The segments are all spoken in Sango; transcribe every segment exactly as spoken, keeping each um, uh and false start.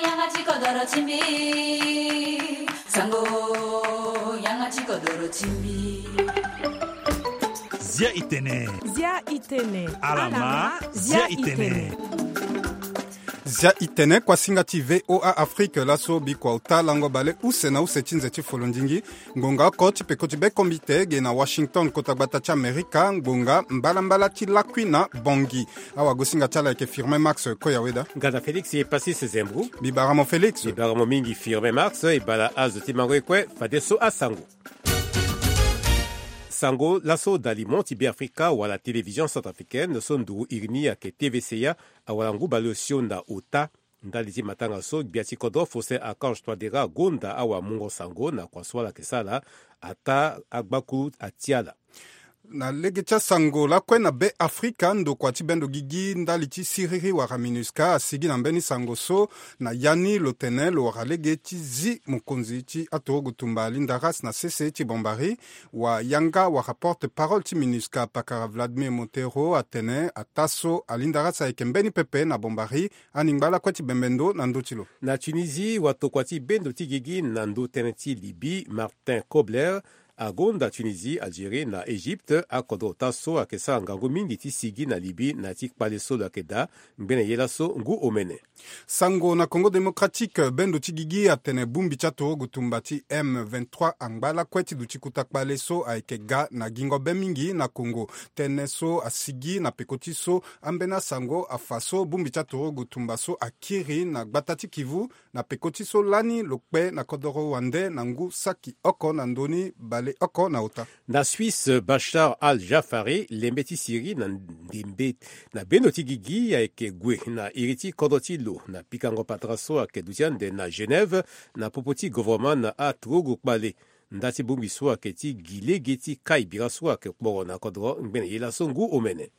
Yanga ti kodoro ti mbi. Sango, yanga ti kodoro ti mbi. Zia itene. Zia itene. Alama, zia itene. Zia itene, kuasinga ti V O A Afrique, laso bikua ota lango bale use na use ti nze ti folondingi. Ngonga oko ti peko ti be kombite ge na Washington, kota gbata ti Amerika, ngonga mbalambala ti lakui na Bangui. Awagosinga ti ala ayeke Firmin Max Koyaweda. Ngana Félix Passis Zembou. Bibaramo Félix. Bibaramo mingi Firmin Max, e bala azo ti mango e kue, fadeso asango. Sango, laso dalimo ti Beafrika wala télévision centrafricaine so nduru iri ni ayeke T V C A, awara ngu baleosio na ota. Ndali ti matanga so, gbia ti kodro Faustin Archange Touadéra agonda awamungo sango na kua so ala yeke sara, ataa agbaku ati ala. Na lege ti asango lakue na Beafrika, ndokua ti bendo gigi ndali ti siriri wala MINUSCA asigi na mbeni sango so na ya ni lo tene lo wara lege ti zi mokonzi ti aturugu tumba Linda Ras na sese ti Bombari. Wa yanga wala porte-parole ti MINUSCA pakara Vladimir Montero atene ataa so aLinda Ras ayeke mbeni pepe na Bombari. Aningba lakue ti bembe ndo na ndö ti lo. Na Tunisie, watokua ti bendo ti gigi na ndö tënë ti Libye, Martin Kobler, agonda Tunisie, Algérie na Égypte. Akodro ota so ayeke sara ngangu mingi ti sigi na Libye na ya ti kpale so lo yeke daa ngbene ye laso ngu omene. Sango na Congo Démocratique, bendo ti gigi atene bongbi ti aturugu tumba ti M vingt-trois angba lakue ti duti kota kpale so ayeke ga na gingo be mingi na Congo. Tënë so asigi na peko ti so ambeni asango afa so bongbi ti aturugu tumba so akiri na gbata ti Kivu na peko ti so lani lo kpe na kodoro wande na ngu saki oko na ndö ni bale oko na ota. Na Suisse, Bachar al-Jaffari, lembe ti Syrie na ndembe na bendo ti gigi ayeke gue na iri ti kodro ti lo na pikango patara so ayeke duti ande na Genève na popo ti govoroma na aturugu kpale. Nda ti bongbi so ayeke ti gi lege ti kai bira so ayeke kporo na kodro ngbene ye laso ngu omene.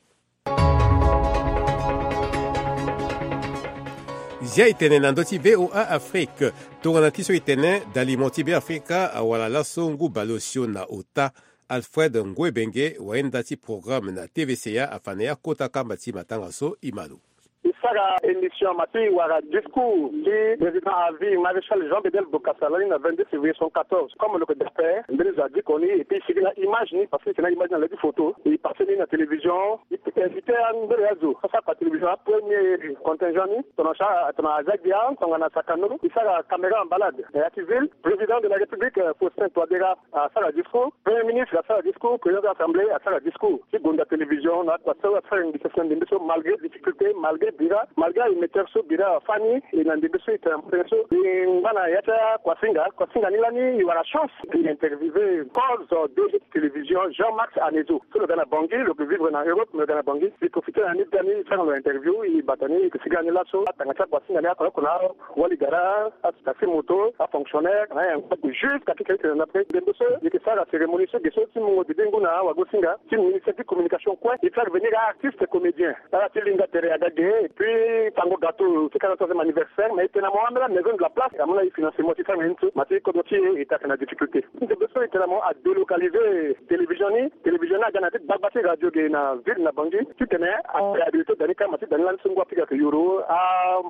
Zia itene na ndö ti V O A Afrique. Tongana ti so itene, dalimo ti Beafrika awara laso ngu baleosio na ota. Alfred Ngouebenge, wayenda ti programme na T V C A, afa na ya kota kamba ti matanga so. I ma lo. E sara émission ma ti wara discours ti président à vie maréchal Jean Bedel Bokassa lani na vingt-deux février soixante-quatorze. Comme lo yeke dape mbeni zo adiko ni et puis e sigi na image ni, parce que e yeke na image ni na le ti photo, e passé ni na télévision. E invité ambeni azo so asara kua télévision, apremier contingent ni tongana sa tongana aza gbia tongana sakano. E sara caméra en balade na ya ti ville. Président de la République, euh, Faustin Touadéra asara discours. Premier ministre asara discours, président de l'Assemblée asara discours. Ti gonda télévision na kua so asara ngbisa si na ndembe so, malgré difficulté, malgré bira, malgré aémetteur so bira afâ ni, e na ndembe so e tene na ndembe so. E ngba na ya ti akuasinga, kuasinga ni lani e wara chance e interviewé cause D G ti télévision Jean Max Anezo. So lo ga na Bangui, lo yeke vivre na Europe, mais lo ga na Bangui. E profité na ni, e sara lo interview, e bata ni, e yeke sigi na ni laso. Atanga ti akuasinga ni oko na oko na wali gara, atakisi moto, afonctionnaire, na ayango ague jusqu'à ti keke na après. Ndembe so e yeke sara cérémonie so ge so ti mungo dede ngu na awagosinga ti ministère ti communication kue. E faire venir artiste comédien. Ala ti linga tere aga ge, et puis fango gâteau ti quarante-troisième anniversaire, mais e tene na mo ambeni amaison de la place amu na e financement ti faire na ye ni so, ma ti kodro ti e e yeke na difficulté. Ndembe so e tene na mo adélocalisé télévision ni. Télévision ni aga na ya ti gbagba ti radio ge na ville na Bangui. Titene a réhabilité da ni kâ, ma ti da ni lani so ngu apiga ayeke yoro a,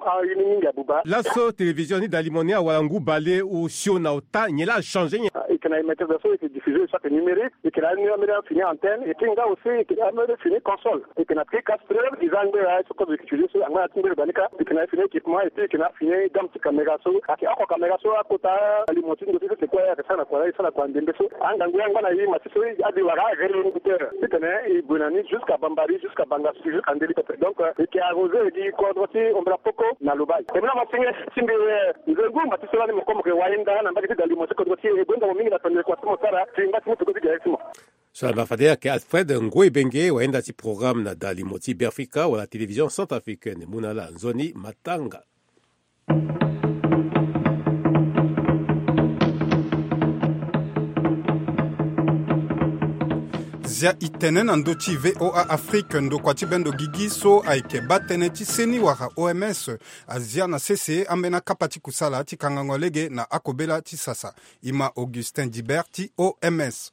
a ye ni mingi abuba. Laso télévision ni dalimo ni awara ngu baleosio na ota, nyen laa achangé nyen? Ah, e yeke na émetteur so e yeke diffusé chaque numérique, e yeke na ambeni fini antenne, et puis nga aussi e yeke na ambeni fini console, e yeke na tri castreur, e za angbera so kozo e yeke utiliser so angba na ti ngbere da ni kâ, e yeke na fini équipement, et puis e yeke na fini gamme ti caméra so ayeke oko caméra so akota limo ti ndo ti so, c'est quoi, ayeke sara na kua, e sara na kua ndembe so. Angangu angba na e ma ti so adi wara aréalisateur titene e gue na ni jusqu'à Bambari, jusqu'à Bangassou, jusqu'à Ndéli pepe. Donc, euh, e yeke arrosé gi kodro ti Ombra Poko na Lobaye. E mu na masinge ti mbi, euh, nze ngu ma ti so lani mo kue mo yeke wayenda na mbage ti da limo ti kodro ti e. E benda mo mingi na tondere kua ti mo sara ti ngba ti mo peko ti gere ti mo. So ala ma fade ayeke Alfred Ngouebenge, wayenda ti programme na da limo ti Beafrika wala télévision centrafricaine. E mu na ala nzoni matanga. Zia itene na ndö ti V O A Afrique, ndokua ti bendo gigi so ayeke baa tënë ti seni wala O M S azia na sese ambeni akapa ti kusala ti kangango lege na akobela ti sasa. E ma Augustin Dibert ti O M S.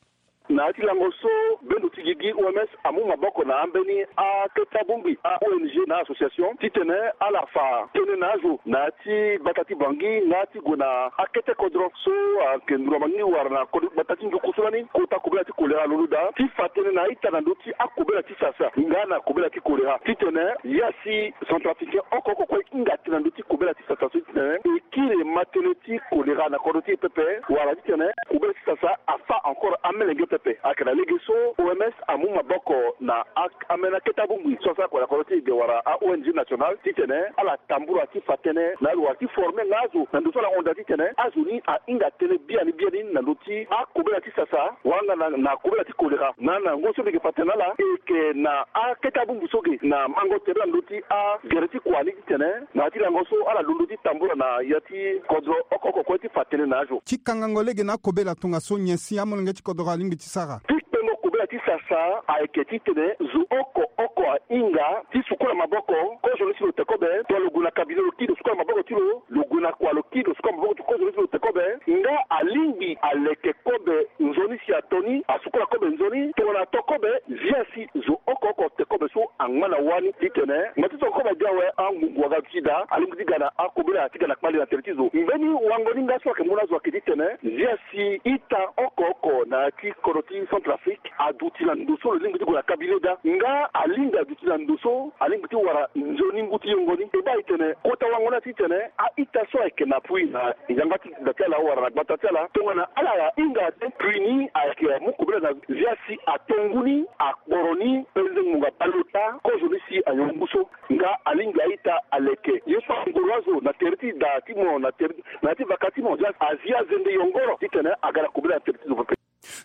Na ya ti lango so bendo ti gigi O M S amu maboko na ambeni akete abongbi a O N G na association titene ala fa tënë na azo na ya ti gbata ti Bangui nga ti gue na akete kodro so ayeke nduru na Bangui wala na kodro gbata ti nduku so lani kota kobela ti kolera alondo daa ti fa tënë na a-ita na ndö ti akobela ti sasa nga na kobela ti kolera titene ya si centrafricain oko oko kue hinga tënë na ndö ti kobela ti sasa so titene e kiri ma tënë ti kolera na kodro ti e pepe wala titene kobela ti sasa afa encore amelenge pepe. Ayeke na lege so O M S amu maboko na ak- ambeni akete abongbi so asara kua na kodro ti e ge wala a O N G nationale titene ala tambula ti fa tënë na alo wala ti forme nga azo na ndö so ala hon daa titene azo ni ahinga tënë biani biani na ndö ti akobela ti sasa wala nga na, na kobela ti kolera. Na, na ngoi so mbi yeke fa tënë na ala e yeke na akete abongbi so ge na mango tere na ndö ti agere ti kua ni titene na ya ti lango so ala londo ti tambula na ya ti kodro oko oko kue ti fa tënë na azo. Ti kangango lege na akobela tongaso nyen si amolenge ti kodro alingbi ti sara? Ti kpengo kobela ti sasa ayeke titene zo oko oko ahinga ti sukola maboko. Kozo ni si lo te kobe, tongana lo gue na kabine lo kiri lo sukola maboko ti lo, lo gue na kua lo kiri lo sukola maboko ti kozo ni si lo te kobe. Nga alingbi aleke kobe nzoni si ato ni, asukola kobe nzoni. Tongana ato kobe, zia si zo oko oko te kobe so angba na wâ ni titene ngba ti so kobe adi awe angungu aga duti daa, alingbi ti ga na akobela ti ga na kpale na tere ti zo. Mbeni wango ni nga so ayeke mu na azo ayeke titene zia si ita oko oko na ya ti kodro ti Centrafrique aduti na ndo so lo lingbi ti gue na kabine daa. Nga alingbi aduti na ndo so alingbi ti wara nzoni ngu ti yongo ni. E baa e tene kota wango ni atitene a-ita so ayeke na pui na yanga ti da ti ala wala na gbata ti ala tongana ala hinga te, prix ni ayeke amu kobela na zia si ato ngu ni, akporo ni, penze ngbonga bale ota, kozo ni si anyon ngu so. Nga alingbi a-ita aleke ye so angoro azo na tere ti da ti mo na tere na ya ti vaka ti mo, zia si azi azende yongoro titene aga na kobela na tere ti zo pepe.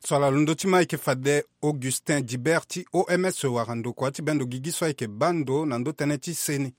So ala londo ti ma ayeke fade Augustin Dibert ti O M S wara ndokua ti bendo gigi so ayeke baa ndo na ndo tënë ti seni.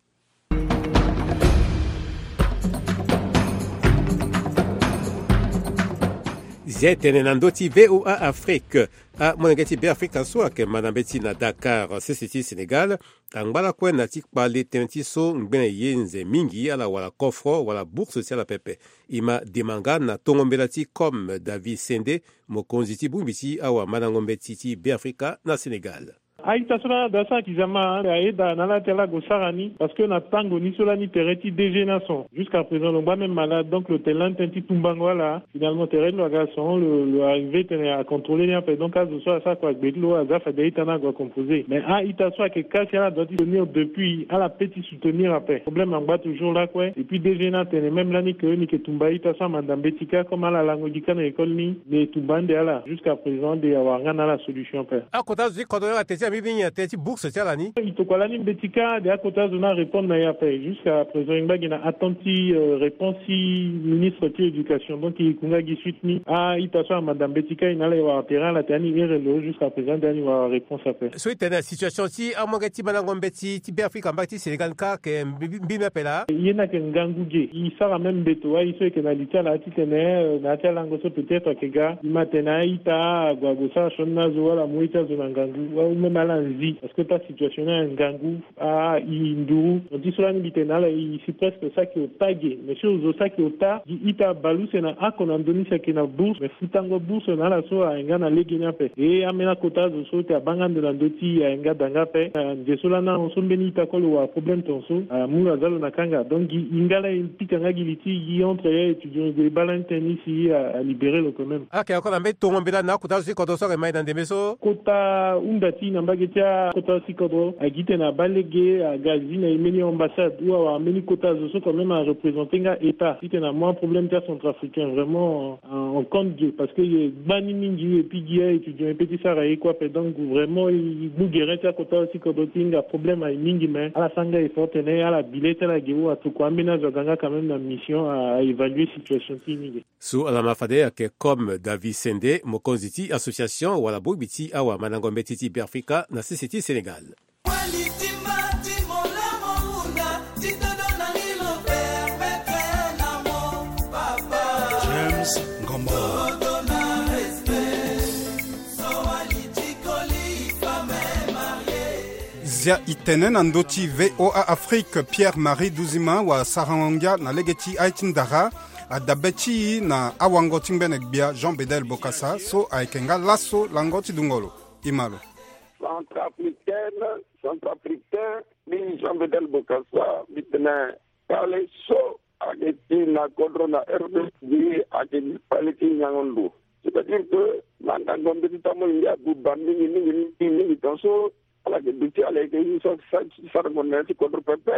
Zia e tene na ndö ti V O A Afrique. Amolenge ti Beafrika so ayeke manda mbeti na Dakar, sese ti Sénégal, angba lakue na ti kpale tënë ti so ngbene ye nze mingi ala wara kofro wala bourse ti ala pepe. E ma dema nga na tongo mbela ti Comme David Sendé, mokonzi ti bongbi ti awamandango mbeti ti Beafrika na Sénégal. A-ita so lani ado asara kizama, ayeda na ala ti ala gue sara ni, parce que na tango ni so lani tere ti D G ni ason. Jusqu'à présent lo ngba même malade, donc lo tene lani tënë ti tumbango ala. Finalement tere ti lo aga son, lo, lo arrivé tene acontrôler ni ape, donc azo so asara kua gbe ti lo aza fade a-ita ni ague acomposer. Mais a-ita so ayeke ka si ala doit ti soutenir depuis, ala peut ti soutenir ape. Problème angba toujours lakue. Et puis D G ni atene même lani ke ni yeke tumba a-ita so amanda mbeti kâ, comme ala lango gi kâ na école ni, mais e tumba ande ala. Jusqu'à présent ande awara nga na ala solution ape. Akota zo ti kodro ni awa tene ti ambi mingi na tënë ti bourse ti ala ni. E tokua lani mbeti kâ, de akota zo ni arépondre na e ape. Jusqu'à présent e ngba gi na attente ti, euh, réponse ti ministre ti éducation. Donc e kunga gi suite ni. A-ita so amanda mbeti kâ e na ala e wara terrain ala tene ani here lo, jusqu'à présent ande ani wara réponse ape. So e tene na situation ti amolenge ti mandango mbeti ti Beafrika mbage ti Sénégal ni kâ ayeke mbi, mbi, mbi ni ape laa. Ye ni ayeke ngangu ge. E sara même mbeto wâ e so e yeke na li ti ala titene, euh, na ya ti alango so peut-être ayeke ga. E ma tene a-ita ague ague sara sioni na azo wala amu ye ti azo na ngangu. Wala même ala nzi. Parce que ta situation ni ayeke ngangu. A, e nduru. Donc ti so lani mbi tene na ala e si presque saki ota ge. Mais si zo saki ota, gi ita bale use na oko na ndo ni si ayeke na bourse. Mais futango bourse na ala so ayeke nga na lege ni ape. E ambeni akota zo so ti abaa nga ndo na ndö ti e ayeke nga da nga ape. Na nze so lani ahon so mbeni ita kue lo wara problème tongaso, amu lo aza lo na kanga. Donc gi e nga lani e pika nga gi li ti gi entre ya étudiant e gue e baa lani tënë ni si a, alibéré lo quand même. Ayeke encore na mbeni tongo mbela na akota zo ti kodro so ayeke ma e na ndembe so. Kota hunda ti e na mbage ti akota zo ti kodro agi titene abaa lege aga zi na e mbeni ambassade ou awara mbeni kota zo so quand même areprésenter nga état titene amu aproblème ti acentrafricain vraiment en, en compte ge, parce que e gbani mingi et puis gi a-étudiant e peut ti sara ye kue ape. Donc vraiment e mu gere ti akota zo ti kodro ti hinga problème aye mingi, mais ala sara nga effort tene ala bi le ti ala ge ou atokua ambeni azo aga nga quand même na mission a, a évaluer situation ti e ni ge. So ala ma fade ayeke Comme David Sendé, mokonzi ti association wala bongbi ti awamandango mbeti ti Beafrika na sese ti Sénégal. James Ngombo. Zia itene na ndö ti VOA Afrique, Pierre Marie Duzima wa sarango ngia na lege ti aye ti ndara, adabe ti e na awango ti ngbene gbia Jean Bedel Bokassa so ayeke nga laso lango ti dungo lo. E ma lo. Centrafricaine, centrafricain, mbi Jean Bedel Bokassa, mbi tene kpale so ayeke ti na kodro na R D C ayeke kpale ti nyango ndo. C'est-à-dire que mandango mbeti ti amolenge abuba mingi mingi mingi mingi, tongaso ala yeke duti, ala yeke ye so asara ngonda na ya ti kodro pepe,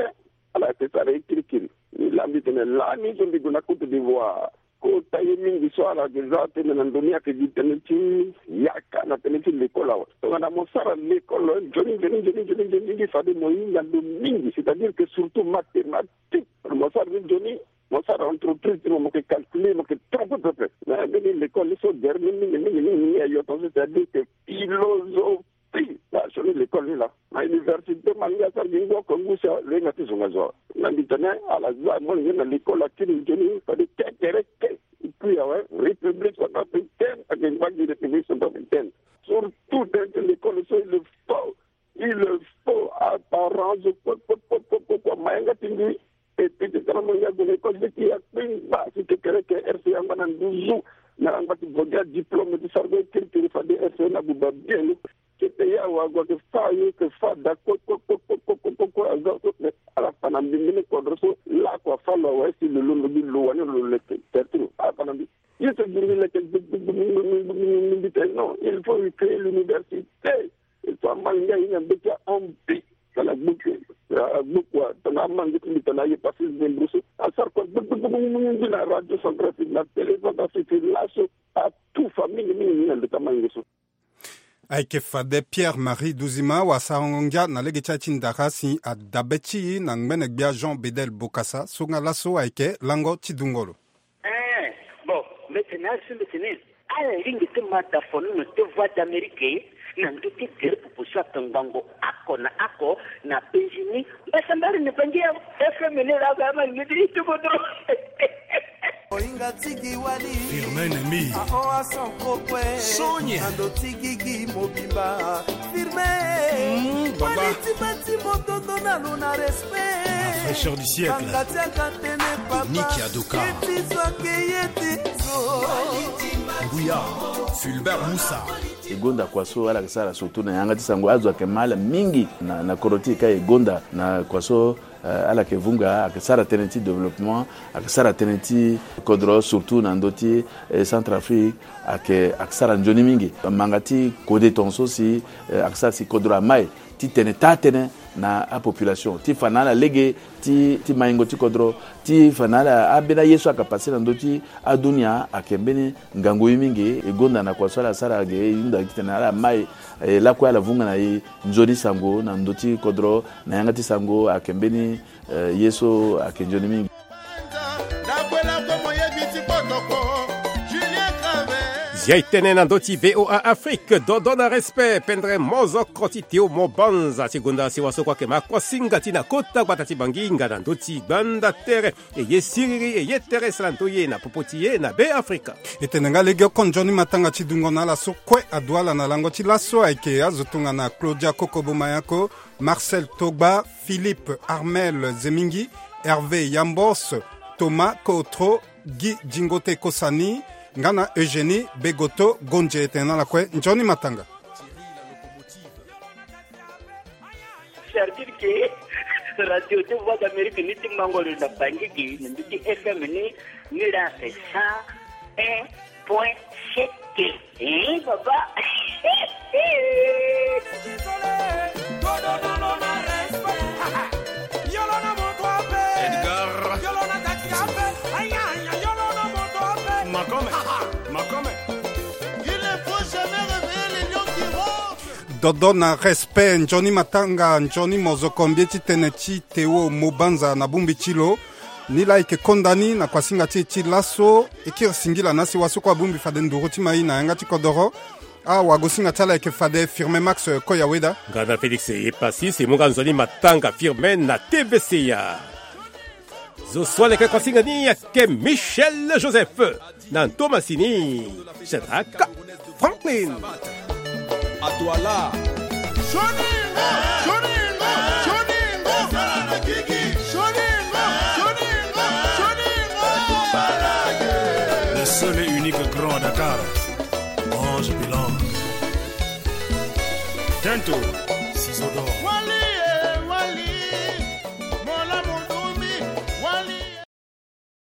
ala yeke sara ye kirikiri. Mbi laa mbi tene lani so mbi gue na Côte d'Ivoire, kota ye mingi so ala yeke za tënë na ndo ni ayeke gi tënë ti yaka na tënë ti lekol awe. Tongana mo sara lekol nzoni nzoni nzoni nzoni nzoni, fade mo hinga ndo mingi, c'est-à-dire que surtout mathématique. Mo sara ni nzoni, mo sara entreprise ti mo, mo yeke calculer, mo yeke trompe pepe. Mais mbeni lekol ni so gere ni mingi mingi mingi mingi ayo, tongaso c'est-à-dire que philosophie. Pi na sioni lekol ni laa na université, ma ngia asara gi ngu oko ngu si alenga ti zonga zo awe. Na mbi tene ala za molenge na lekol akiri nzoni fade kekereke. Epui awe, République centrafricaine ayeke ngba gi République centrafricaine. Surtout tënë ti lekol so il faut, il faut aparent zo kue kue kue kue kue kue ma yanga ti mbi. E pete tara mo ya gue na école ti ya kpengba si kekereke R C A angba na nduzu. Na angba ti vo gi adiplôme ti sara gue kirikiri fade R C A na buba bien. Kete ya wa gue ayeke fa, ye yeke fa da kue kue kue kue kue kue kue aza so. Ala fa na mbi mbeni kodro so lakue afa lo awe si lo londo gi lo wani lo leke. Tertiri ala fa na mbi. Ye so gi mbi leke gbegbegbegbe, mbi tene non, il faut recréer l'université. Il faut amange ngia ahinga mbeti ahon mbi. Tongana gbuku, gbuku tongana amange ti mbi tongana aye pasi mbi mburu so asara kue gbegbegbegbe na Radio Centrafrique, na Télé Centrafrique laso. Atufa mingi mingi mingi na ndo ti amange so. Ayeke fade Pierre Marie Duzima wa sarango ngia na lege ti aye ti ndara si adabe ti e na ngbene gbia Jean Bedel Bokassa so nga laso ayeke lango ti dungo lo. Eh, bon, mbi tene azo so mbi tene ala lingbi ti ma da fono na te Voix d'Amérique na ndö ti gere popo so akangbango oko na oko na penzi ni. Mbasambari na bangi ya F M ni laa ga ama lingbi ti tuko dro. Ohinga tigi wali. Firmin Nemi. Aho ason kokue. Sonia. Ando tigi gi mobimba. Firmin. Mm, baba. Wali ti bati motondo na lo na respect. La fraîcheur du siècle. Banga ti akatene papa. Nick Adoka. Keti zo ake ye ti zo. Nguya. Fulbert Musa. E gonda kua so ala yeke sara surtout na yanga ti sango, azo ayeke ma ala mingi na, na kodro ti e ka e gonda na kua so. Eh, ala yeke vunga, ayeke sara tënë ti développement, ayeke sara tënë ti kodro, surtout na ndö ti, eh, Centrafrique, ayeke, ayeke sara nzoni mingi. Manga ti kode tongaso si, eh, ayeke sara si kodro amai ti tene taa tënë na apopulation, ti fa na ala lege ti, ti maingo ti kodro, ti fa na ala ambeni aye so ayeke pase na ndö ti adunia, ayeke mbeni ngangu ye mingi. E gonda na kua so ala sara ge, e hunda titene ala mai, eh, lakue ala vunga na e nzoni sango na ndö ti kodro, na yanga ti sango ayeke mbeni, eh, ye so ayeke nzoni mingi. Zia e tene na ndö ti VOA Afrique, dodo na respect, pendre mozoko ti Théo Mobanza ti gonda si wa so kue ayeke ma kuasinga ti na kota gbata ti Bangi nga na ndö ti gbanda tere. E ye siriri, e ye tere sara ndö ye na popo ti ye na Be Afrika. E tene nga lege oko nzoni matanga ti dungo na ala so kue adu ala na lango ti laso ayeke azo tongana Claudia Kokobo Mayako, Marcel Togba, Philippe Armel Zemingi, Hervé Yambos, Thomas Kootro, Guy Zingote Kosani, nga na Eugénie Begoto Gondie. E tene na ala kue nzoni matanga. C'est-à-dire que Radio de Voix d'Amérique ni ti mango lo na Bangi gi na ndö ti F M ni, ni la c'est cent un point sept. Eh, papa. Edgar. Makome. Makome. Il ne faut jamais réveiller les lions qui ronflent. Dodo na respect, nzoni matanga, nzoni mozoko, mbi ye ti tene ti Théo Mobanza na bongbi ti lo. Ni laa e yeke konda ni na kuasinga ti e ti laso. E kiri singila na si wa so kue abongbi fade nduru ti mai na yanga ti kodoro. Awagosinga ti ala e yeke fade Firmin Max Koyaweda. Nga na Félix Epassis, e mu nga nzoni matanga Firmin na T V C A. Zo so aleke kuasinga ni ayeke Michel Joseph. Na ndo masini, Shadrack Franklin. Adwala. Johnny, Johnny. Seul et unique grand à Dakar, Ange Bilang. Tento, ciseaux d'or.